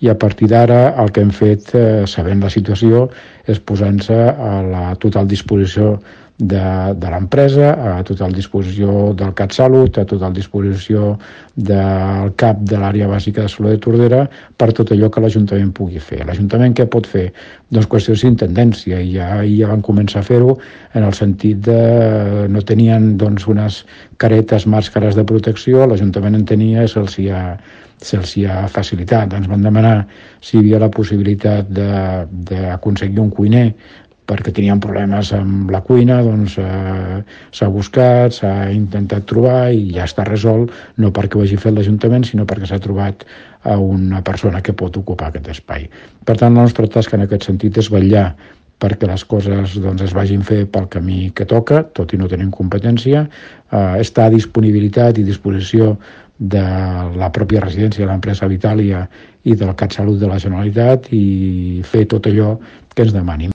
i a partir d'ara el que hem fet, sabent la situació, és posant-se a la total disposició de l'empresa, a total disposició del CatSalut, a total disposició del CAP de l'àrea bàsica de salut de Tordera per tot allò que l'Ajuntament pugui fer. L'Ajuntament què pot fer? Doncs qüestions d'intendència, i ja van començar a fer-ho en el sentit de no tenien unes caretes, màscares de protecció, l'Ajuntament en tenia i se'ls ha facilitat. Ens van demanar si hi havia la possibilitat d'aconseguir un cuiner perquè tenien problemes amb la cuina, doncs s'ha buscat, s'ha intentat trobar i ja està resolt, no perquè ho hagi fet l'Ajuntament, sinó perquè s'ha trobat a una persona que pot ocupar aquest espai. Per tant, la nostra tasca en aquest sentit és vetllar perquè les coses es vagin fer pel camí que toca, tot i no tenim competència, està a disponibilitat i disposició de la pròpia residència de l'empresa Vitàlia i del CatSalut de la Generalitat i fer tot allò que ens demanin.